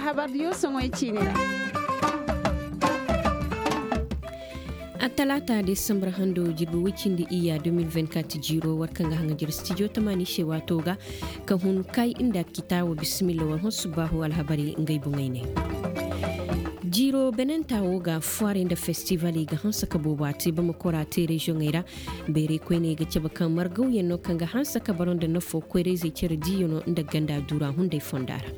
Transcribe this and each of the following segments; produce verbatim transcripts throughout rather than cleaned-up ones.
Habar diyo soŋoy ciini ra. Attalaata desambar hando jirbi woy cindi iyya deux mille vingt-quatre jiiro war kaŋ ga haŋa jere stijo tamaani se waato ga ka hun kay nda kitaawo bisimilla war hõ subbaahu alhabarey ngey boŋey ne. Jiiro benenta wo ga fuwarey nda festivaley ga hanse ka boobo a te bamako ra a te reziyoŋey ra. Bayray koyney ga cabe kaŋ margawyaŋ no kaŋ ga hanse ka baro nda nafo koyra-izey cere diiyaŋo nda ganda duura hunday fonda ra.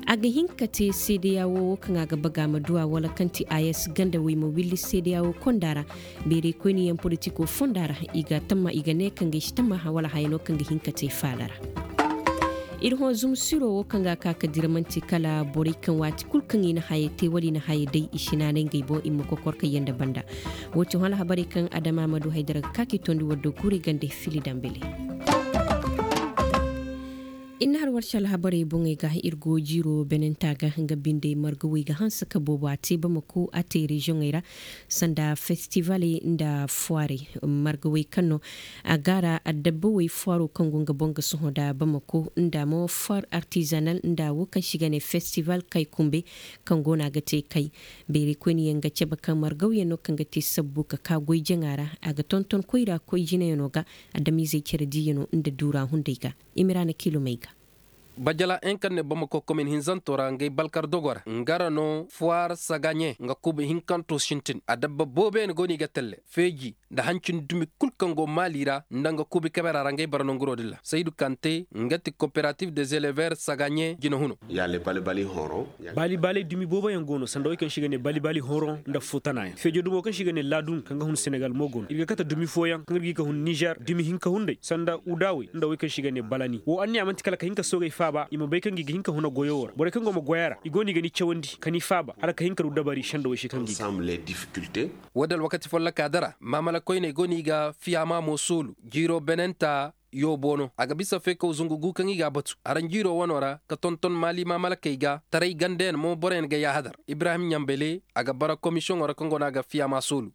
A ga hin ka te seedeya wo wo kaŋ a ga baga ma duwa wala kaŋ ti a s ganda wey ma willi seedeya wo konda ra. Bayray koyniyaŋ politiko fonda ra i ga tamma i ga ne kaŋ ga ay si tamma wala haya no kaŋ ga hin ka te faala ra. Ir hõ zumsiro wo kaŋ ga a ka ka dira manti kala borey kaŋ waati kul kaŋ i na haya te wala i na haya day i si naanay ngey boŋ i ma kokor ka yanda banda. Wo ti hõ alhabarey kaŋ adama ma du haydara ga ka k'i tondi war do guurey gande fili dambele. Ir na har war se alhabarey boŋey ga ir go jiiro benenta ga nga binde margawey ga hanse ka boobo a te bamako a te reziyoŋey ra. Sanda festivaley nda fuwarey margawey kaŋ no a gaara addabbawey fuwaro kaŋ go nga boŋ ga sohõ nda bamako nda mo fuwar artizanal nda wo kaŋ se i ga ne festival kay kumbe kaŋ go no a ga te kay. Bayray koyniyaŋ ga cabe kaŋ margawyaŋ no kaŋ ga te sabbu ka ka goy jaŋa ra a ga tonton koyra koy jinayaŋo ga adamizey cere diiyaŋo nda duura hunday ga. Imiraana kilomey ga. Bajala en kaŋ ne bamako komin hinzanto ra ngey balkar dogo ra nga ra no fuwar sagaɲe nga kuuba hinkanto sintin adabba booboyaŋ go no i ga telle feeji nda hancin dumi kul kaŋ go maali ra nda nga kuubi kabera ra ngey bara nonguro din ra saydu kante nga ti koperatif des elever sagaɲe jinahuno. Bali baley dumi booboyaŋ go no sanda wey kaŋ se i ga ne bali bali horo nda futanaayaŋ feejo dumo kaŋ se i ga ne laadun kaŋ ga hun senegal mo go no ir ga kate dumi fooyaŋ kaŋ ir ga i ka hun nizer dumi hinka hunday sanda udaawey nda wey kaŋ se i ga ne balani wo anniya man'ti kala ka hin ka soogey faaba i ma bay kaŋ ga i ga hin ka huna goyo wo ra borey kaŋ go ma goy a ra i go no i ga ni cawandi ka ni faaba hala ka hin ka du dabari sanda wey se kaŋ ga i ga. Wo- din alwakati folloka dara maamala koyney go no i ga fiyaama mo soolu jiiro benenta yoobo no a ga bisa feekaw zungu gu kaŋ i ga a batu aranjiiro wano ra ka tonton maali maamalakey ga taray gandeyaŋ mo boroyaŋ ga yaahadar ibrahim ɲambele a ga bara komisiyoŋo ra kaŋ go no a ga fiyaama soolu.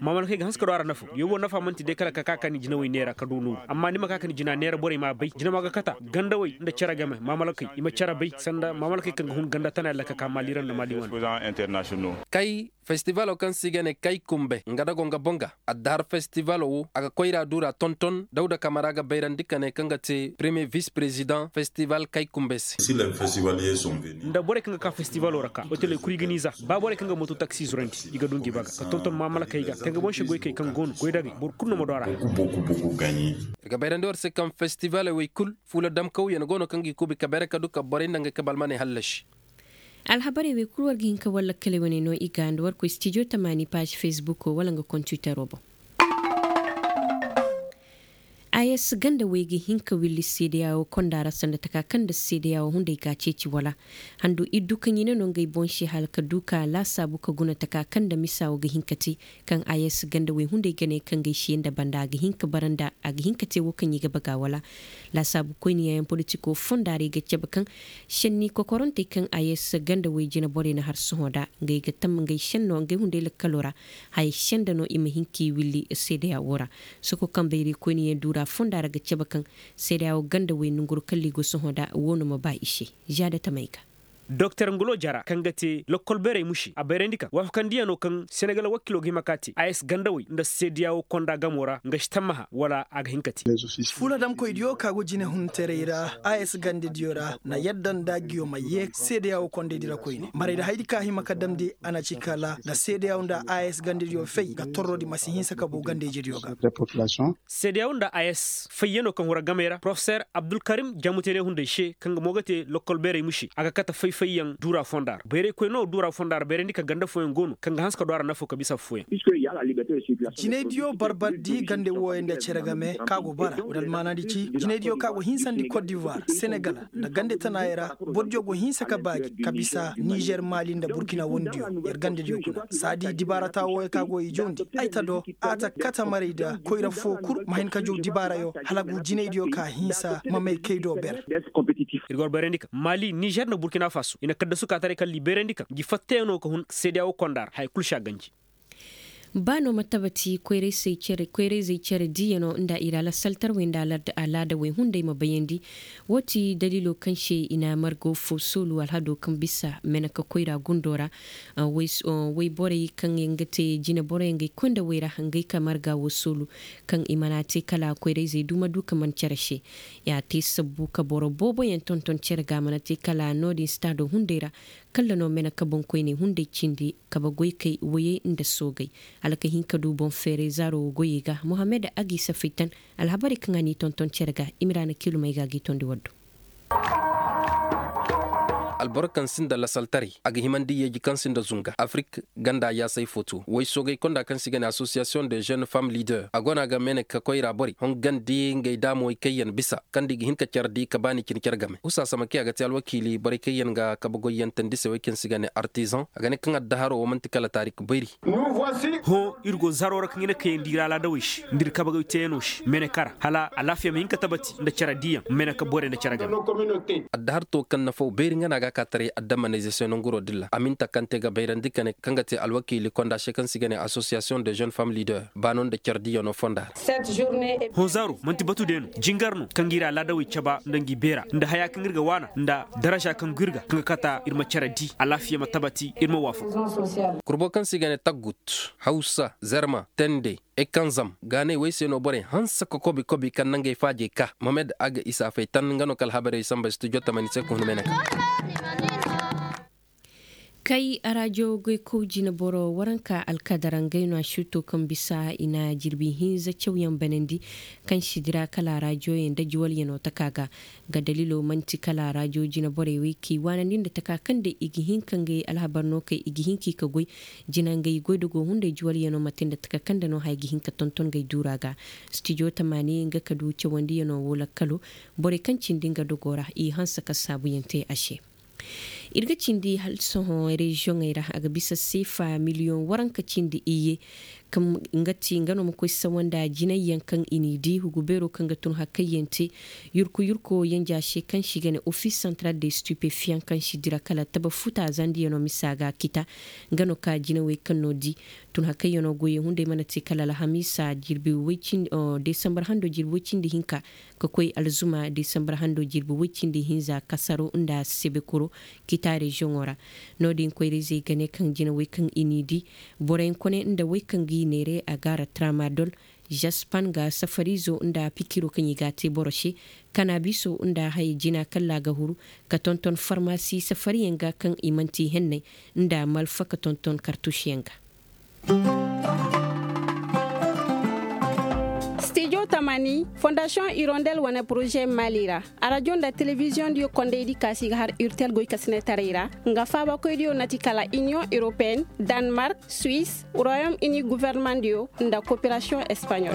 Maamalakey ga hanse ka du a ra nafa yoobo nafa man'ti day kala ka ka ka ni jinawey neera ka du nooru amma ni ma ka ka ni jina neera borey m'a bay jinama ga kata gandawey nda cere game maamalakey i ma cere bay sanda maamalakey kaŋ ga hun ganda tana yalla ka ka maali ra nda maali wane. Kay festivalo kaŋ se i ga ne kay kumbe nga dago nga boŋ ga addahar festivalo wo a ga koyra duura tonton dawda kamara ga bayrandi ka ne kaŋ ga te premiye vis prezidaŋ festival kay kumbe se. Nda borey kaŋ ga ka festivalo ra ka oteley kul i ga ni za ba borey kaŋ ga moto taksi zurandi i ga du ngi baga ka tonton maamalakey ga kaŋ ga boŋ se goykey kaŋ go no goydagey boro kul no ma du a ra. I ga bayrandi war se kaŋ festivaley wey kul fuula damkawyaŋ go no kaŋ ga i kuubi ka bayra ka du ka borey nda ngey kabe almaney hallasi. Alhabarey wey kul war ga hin ka war lakkaley wane no i ga nda war koy stijo tamaani paazi fesbuko wala nga kontitaro boŋ. Ayes ganda wey ga hin ka willi seedeya wo konda ra sanda taka kaŋ nda seedeya wo hunday ga a ceeci wala handu iddu kaŋ i ne no ngey boŋ se hala ka du ka laasaabu ka guna taka kaŋ nda misa wo ga hin ka te kaŋ ayes ganda wey hunday ga ne kaŋ ga ay se nda banda a ga hin ka bara nda a ga hin ka te wo kaŋ i ga baga wala. Laasaabu koyniyaŋ politiko fonda ra i ga cabe kaŋ senni kokorantey kaŋ ayes ganda wey jina borey na har sohõ nda ngey ga tam ngey senno ngey hunday lakkalo ra. Haya senda no i ma hin k'i willi seedeya wo ra. Soko kaŋ bayray koyniyaŋ duura fonda ra ga cabe kaŋ seedeya wo ganda wey nonguru kalli go sohõ nda wo no ma ba i se. Zaada tamey ga. Doktor ngolo jara kaŋ ga te lokkol beerey musi a bayrandi kaŋ waafakandiyaŋo kaŋ senegal wakiilo ga hima ka te a s gandawey nda seediya wo konda gamo ra nga si tammaha wala a ga hin ka te. Fuladamkoydiyo ka go jinehuntaray ra a s gandadiyo ra na yadda nda a giyo ma ye seediya wo kondaydi ra koyne maray nda haydi ka hima ka damndi a na ci kala nda seediya wo nda a s gandadiyo fay nga torrodi ma si hinsa ka boo gandayjediyo ga. Seediya wo nda a s fayyano kaŋ hura gamey ra porofeser abdulkarim jamuteene hunday se kaŋ ga mo ga te lokkol beerey musi a ga kate fay-fayyaŋ duura fonda ra bayraykoy no duura fonda ra bayrandi ka ganda fooyaŋ go no kaŋ ga hanse ka du a ra nafo ka bisa affooyaŋ. Jinaydiyo barbardi gande wooyaŋ nda cere game kaŋ a go bara wala almaanaadi ci jinaydiyo kaŋ a go hinsandi kot divoir senegal nda gande tanaayey ra bordiyo go hinsa ka baaji ka bisa nizer maali nda burkina wondiyo yer gandediyo kuna saadi dibaarata wooyaŋ kaŋ a go i jawndi ay ta do a ta kate maray nda koyra foo kul ma hin ka jaw dibaarayo hala a go jinaydiyo ka hinsa ma may kay do ber. Ir ga war bayrandi kaŋ maali nizer nda burkina faso i na kaddasu ka taray kala i bayrandi kaŋ ngi fattayaŋo ka hun seediya wo konda ra haya kul si a ganji. Ba no ma tabati koyra-izey cere diiyano nda i ra lasaltarwey nda alaadawey hunday ma bayandi. Wo ti daliilo kaŋ se i na margo fo soolu alhado kaŋ bisa meneka koyra gundo ra. Wayborey kaŋ yaŋ ga te jineboroyaŋ ga ay koy nda way ra ngey ka marga wo soolu kaŋ i mana te kala koyra-izey du ma du ka man cere se. Ya te sabbu ka boro booboyaŋ tonton cere ga a mana te kala no-din staado hunday ra. Kalla no mene ka boŋkoyney hunday cindi kabe goykey woyey nda soogey. Hala ka hin ka du boŋ feeray zaaro wo goyey ga mohammed a g'i safay tan. Alhabarey kaŋ a n'i tonton cere ga. Imiraana kilumey ga a g'i tondi waddo. Alboro kaŋ sinda lasaltaray a ga himandi yeeji kaŋ sinda zunga afrik ganda yaasay fo to way soogay konda kaŋ se i ga ne association de jeune femme leader a go no a ga mene ka koyra borey hongandi ngey daamowey kaŋ yaŋ bisa kaŋ da i ga hin ka care di ka baani cine care game husa sama kaŋ a ga te alwakiili borey kaŋ yaŋ ga kabe goyyantandi se way kaŋ se i ga ne artisan a ga ne kaŋ addaharo wo man'ti kala taarik bayri. Hõ ir go zaro ra kaŋ i na kayandi ir alaadawey se nda ir kabe goy teeyanoo se mene kara hala alaafiya ma hin ka tabati nda care diiyaŋ mene ka borey nda care game. Addahar to kaŋ nafaw bayri nga no a ga a ka taray addamanayze se nanguroo din ra a minta kaŋ te ga bayrandi kane kaŋ ga te alwakiili konda se kaŋ se i ga ne association de jeune femme leader baano nda care diiyanoo fonda ra. Hõ zaaro man'ti batu day no jingar no kaŋ ga ir alaadawey caba nda ngi beera nda haya kaŋ ir ga waana nda daraza kaŋ go ir ga kaŋ ga kata ir ma care di alaafiya ma tabati ir ma waafaku. Kurbo kaŋ se i ga ne taggut hawsa zarma tende ekanzam gaanay wey se no borey hanse ka kobi kobi kaŋ nangey faajey ka mohamed a ga isa fay tan nga no ka alhabarey samba studio tamani se ka hun mene ka. Kay arajo goykow jineboro waranka alkadara ngey no a suuto kaŋ bisa i na jirbi hinza cawyaŋ banandi kaŋ si dira kala arajoyaŋ nda juwalyaŋo taka ga. Nga daliilo man'ti kala arajo jineborey wey k'i waanandi nda taka kaŋ day i ga hin ka ngey alhabar no kay i ga hin k'i ka goy jina ngey goydogo hunday juwalyaŋo ma te nda taka kaŋ nda no haya ga hin ka tonton ngey duura ga. Stijo tamaani nga ka du cawandiyaŋo wo lakkalo borey kaŋ cindi nga dogo ra i hanse ka saabuyaŋ te a se. Ir ga cindi hala sohõ reziyoŋey ra a ga bisa seefa miliyoŋ waranka cindi iyye. Nga ti nga no ma koy sawa nda jinayyaŋ kaŋ i n'i di hugu beeroo kaŋ ga tun hakayyaŋ te yurku yurko yanja se kaŋ se i ga ne ofis santaral de stipefiyaŋ kaŋ si dira kala taba futa zandiyaŋo misa ga kita. Nga no ka jinawey kaŋ no di tun hakayyaŋo goyey hunday mana te kala alhamiisa jirbi woy cindi desambar hando jirbi woy cindi hinka ka koy alzuma desambar hando jirbi woy cindi hinza kasaro nda sebekuro kita reziyoŋo ra. No-din koyra-izey ga ne kaŋ jinawey kaŋ i n'i di boroyaŋ kone nda wey kaŋ g'i neere a gaara tramadol jaspan ga safariizo nda pikiro kaŋ i g'a te boro se kanabiso nda haya jina kalla ga huru ka tonton farmasi safariyaŋ ga kaŋ i man'ti henney nda malfa ka tonton kartusiyaŋ ga. Stijo tamani fondasiyoŋ irondel wane poroze mali ra arajo nda telebiziyoŋ diyo kondaydi ka si ga har irtel goykasinetaray ra nga faabakoydiyo na ti kala iniyoŋ europeen, danmark, suwis, royom ini guvernemandiyo nda koperasiyoŋ espaɲol.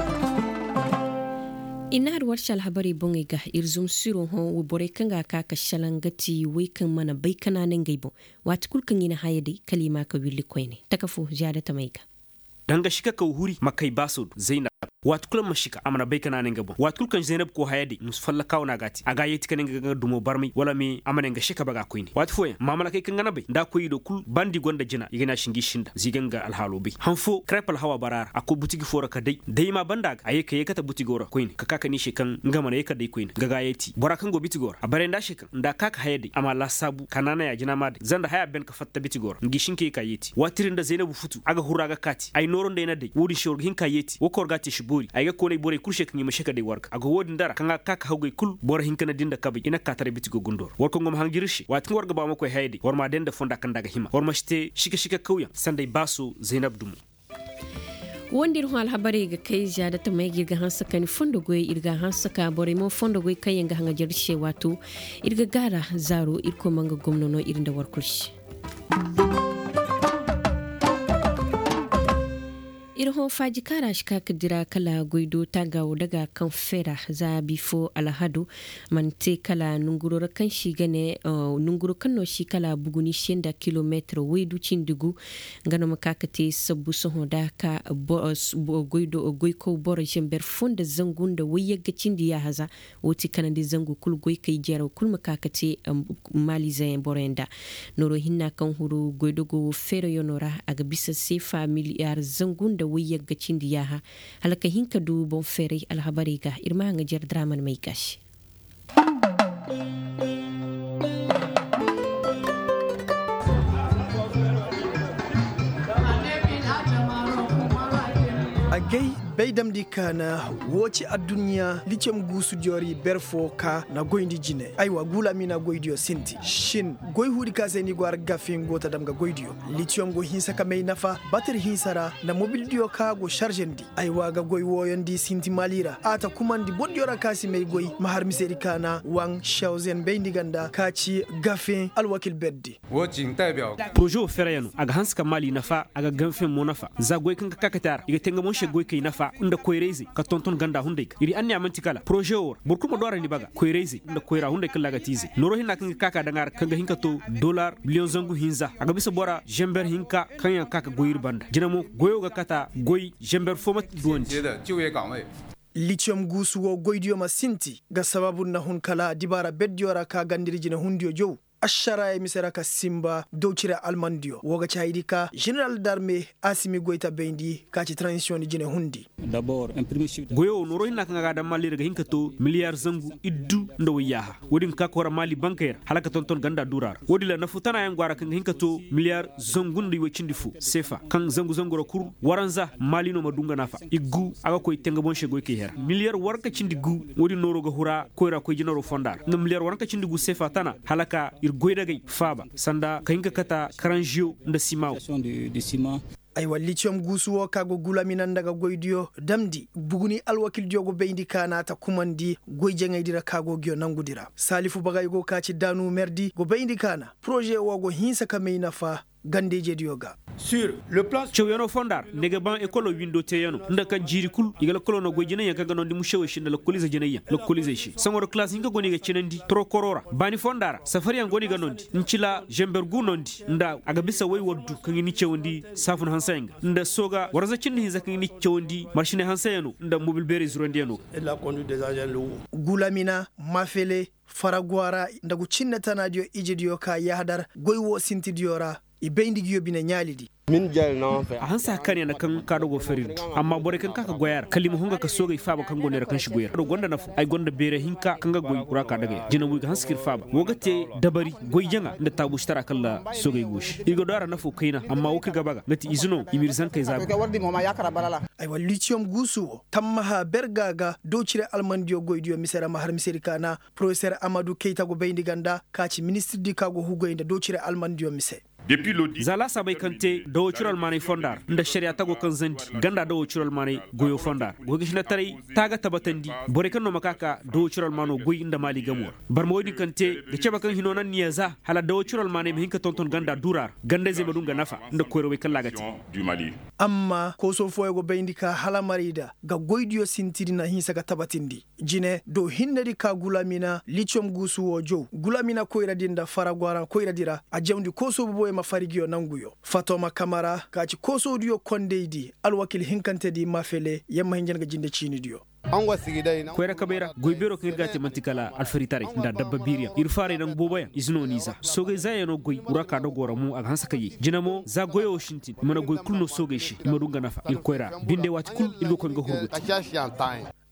I na har warsi alhabarey boŋey ga ir zumsiroo hõ borey kaŋ ga a ka ka šalaŋ ga ti wey kaŋ mana bay ka naanay ngey boŋ. Waati kul kaŋ i na haya day kala i ma a ka willi koyne taka fo ziyaada tamey ga. Danga šika kaw huri ma kay baasoo do zaynab. Waati kul a ma šika a mana bay ka naanay nga boŋ waati kul kaŋ zaynab koo haya day musu fallakaaw no a ga a te a ga a yeeti ka ne nga ga nga dumo barmay wala me a ma ne nga šika baga koyne waati fooyaŋ maamalakey kaŋ ga na bay nda a koy i do kul ba nda i gonda jina i ga ne a si ngi sinda za i ga nga alhaaloo bay han foo karep alhawa bara ra a koy butigi foo ra ka day day ma banda a ga a ye ka yeekate butigoo ra koyne ka ka ka ne i se kaŋ nga mana ye ka day koyne nga ga a yeeti bora kaŋ go bitigoo ra a bare nda a se kaŋ nda a ka ka haya day a ma laasaabu ka naanay a jina ma day zanda haya ben ka fatta bitigoo ra ngi sinka ye ka yeeti waati din nda zaynabu futu a ga hurra ga kaati ay nooro nda ay na day wo-din se war ga hin ka yeeti wo kaŋ war ga a te si boori ay ga koonay borey kul se kaŋ i ma se ka day war ga a go wo-din dara kaŋ a ga ka ka hawgay kul boro hinka na di nda kabay i na ka taray bitigoo gundoo ra war kaŋ go ma hanjir ir se waati kaŋ war ga ba ma koy haya day war m'a day nda fonda kaŋ nda a ga hima war ma si te sika sika kawyaŋ sanday baaso zaynab dumo. Wonda ir hõ alhabarey ga kay ziyaada tamey ga ir ga hanse ka ni fondo goyey ir ga a hanse ka borey mo fondo goy kaŋ yaŋ ga haŋajer ir se waato ir ga gaara zaaro irkoy ma nga gomno no ir nda war kul se. Ir hõ faaji kaŋ ra si ka ka dira kala goy do taagaawo daga kaŋ feera za bifo alhado mana te kala nanguro ra kaŋ si ga ne nanguro kaŋ no si kala buguni se nda kilomeetir waydu cindi gu. Nga no ma ka ka te sabbu sohõ da ka goykow boro zember fo nda zangu nda wayyagga cindi yaahaza. Wo ti kanandi zangu kul goykey jaraw kul ma ka ka te maalizeyaŋ boroyaŋ da. Nooro hinna kaŋ huru goydogo wo feerayaŋo ra a ga bisa seefa miliyar zangu nda Woy yagga cindi yaaha hala ka hin ka du boŋ feeray alhabarey ga ir ma haŋajer draman may ga se. Agay bay damndi kaana. Woo ci adduɲɲa litiyom guusudiyo ra i ber foo ka na goyndi jine. Aywa guulamina goydiyo sinti shin goy huudi ka se ni go ara gafe nga go ta dam ga goydiyo. Litiyom go hinsa ka may nafa batir hinsa ra nda mobildiyo ka go sarzandi. Aywa ga goy wooyondi sinti maali ra a ta kumandi bordiyo ra ka si may goy ma har misedi kaana waŋ sewzen bayndi ganda ka ci gafe alwakil berdi. Poroze wo ferayano a ga hanse ka maali nafa a ga ganfen mo nafa za goy kaŋ ga ka kate a ra i ga te nga mo se goykey nafa nda koyrayzey ka tonton ganda hunday ga ir anniya man'ti kala poroze wo ra boro kulu ma du a ra ni baga koyrayzey nda koyra hunday kaŋ ra a ga te izey nooro hinna kaŋ ga ka ka daŋ a ra kaŋ ga hin ka to dolar miliyoŋ zangu hinza a ga bisa bora zenber hinka kaŋ yaŋ ga ka ka goy ir banda jina mo goyo ga kata goy zenber fo ma duwandi. Litiyom guusu wo goydiyo ma sinti ga sabaabu nda hun kala dibaara berdiyo ra ka ganda ir jinehundiyo jow. Ašaraayey mise ra ka sinba daw cire almandiyo woo ga ci hayadi ka ženeral darme asimi goy ta bayndi ka ci taranzisiyoŋ di jinehundi. Goyo wo nooro hinna kaŋ a ga a daŋ maali ra ga hin ka to miliyar zangu iddu nda wayyaaha. Wo-din ga ka koyra maali bankey ra hala ka tonton ganda duura ra wo-din ra nafu tana yaŋ go a ra kaŋ ga hin ka to miliyar zangu nda iway cindi fo seefa kaŋ zangu zangu ra kul waranza maali no ma du nga nafa iggu a ga koy te nga boŋ se goykey hera miliyar waranka cindi gu. Wo-din nooro ga hura koyra koy jinaro fonda ra nda miliyar waranka cindi gu seefa tana hala ka ir goydagey faaba sanda ka hin ka kata karanziyo nda sima wo. Aywa litiyom guusu wo ka go gulamina nda ga goydiyo damndi buguni alwakildiyo go bayndi ka na a ta kumandi goy jaŋaydi ra ka go nguyo nangudi ra saalifu bagay go ka ci daanu merdi go bayndi ka na poroze wo go hinsa ka may nafa ganda-ijediyo ga. Cawyanoo fonda ra nda ay ga ba ekolo windo teeyanoo nda ka jiiri kul i ga lakoloo noo goy jinayyaŋ kaŋ ga noondi musewey se nda lakoliize jinayyaŋ lakoliizey se saŋo ra kalaas hinka go no i ga cinandi torokoroo ra baani fonda ra safariyaŋ go no i ga noondi ncila zember gu noondi nda a ga bisa way waddu kaŋ i ni cawandi saafun hanseyaŋ ga nda sooga waranza cindi hinza kaŋ i ni cawandi marsine hanseyanoo nda mobil beerey zurandiyanoo ga. Gulamina mafele faragwara nda gu cinne tanaadiyo ijediyo ka yahadar goy woo sintidiyo ra i bay nda nguyo bine ɲaalidi. A hanse hakaniya nda kaŋ ka dogo ferindi amma borey kaŋ ka ka goy a ra kala i ma hunga ka soogey faaba kaŋ go neera kaŋ si goy ra do gonda nafa ay gonda beere hinka kaŋ ga goy wura ka dagay ra jinabuy ga hanse ka ir faaba woo ga te dabari goy jaŋa nda taabuusitara kaŋ ra soogey goosi ir ga do a ra nafo kayna amma woo kaŋ ir ga baga nga ti ize no i ma ir zankey zaabu. Aywa litiyom guusu wo tammaha berga ga doocire almandiyo goydiyo mise ra ma har misedi kaana poroseer amadu keyta go bayndi ganda ka ci ministirdi ka go hugay nda doocire almandiyo mise. Za laasaabey kaŋ te dawoo ciro almaaney fonda ra nda ašariyaa tago kaŋ zandi ganda dawoo ciro almaaney goyoo fonda ra goy ga sinataray taa ga tabatandi borey kaŋ no ma ka ka dawoo ciro almaanoo goy nda maali gamoo ra barma woy din kaŋ te ga cebe kaŋ hinoo nanniya za hala dawoo ciro almaaney ma hin ka tonton ganda duuraa ra ganda-izey ma du nga nafa nda koyrawey kaŋ ra a ga te. Amma koosoo fooyoo go bayndi ka hala marayda ga goydiyo sintidi na hinsa ga tabatindi. Jine do hinnedi ka gulamina litiyom guusu woo jaw gulamina koyradi nda faragwaraŋ koyradi ra a jawndi koosoo boboyoo ma fari nguyo nanguyo fatoma kamara ka ci koosoodiyo kondaydi alwakil hinkantedi mafele yamma hinja nga jinde ciinidiyo. Koyra kabey ra goy beeroo kaŋ ir ga a te man'ti kala alfaritaray nda adabba biiriyaŋ ir faaray nangu booboyaŋ ize no n'i za soogey zaayanoo goy wura ka dogoo ra mo a ga hanse ka yee jine mo za goyoo wo sintin i mana goy kul no soogey se i ma du nga nafa ir koyra ra binde waati kul ir ga koy nga hurguti.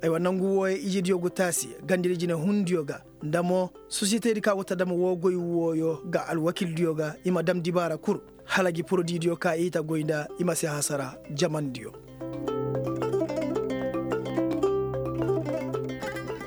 Aywa nangu wooyey ijediyo go taasi ganda ir jinehundiyo ga nda mo sosiyetedi ka go ta dam woo goy wooyoo ga alwakildiyo ga i ma dam dibaara kul hala gi porodiidiyo ka i ta goy nda i ma si hasara jamandiyo.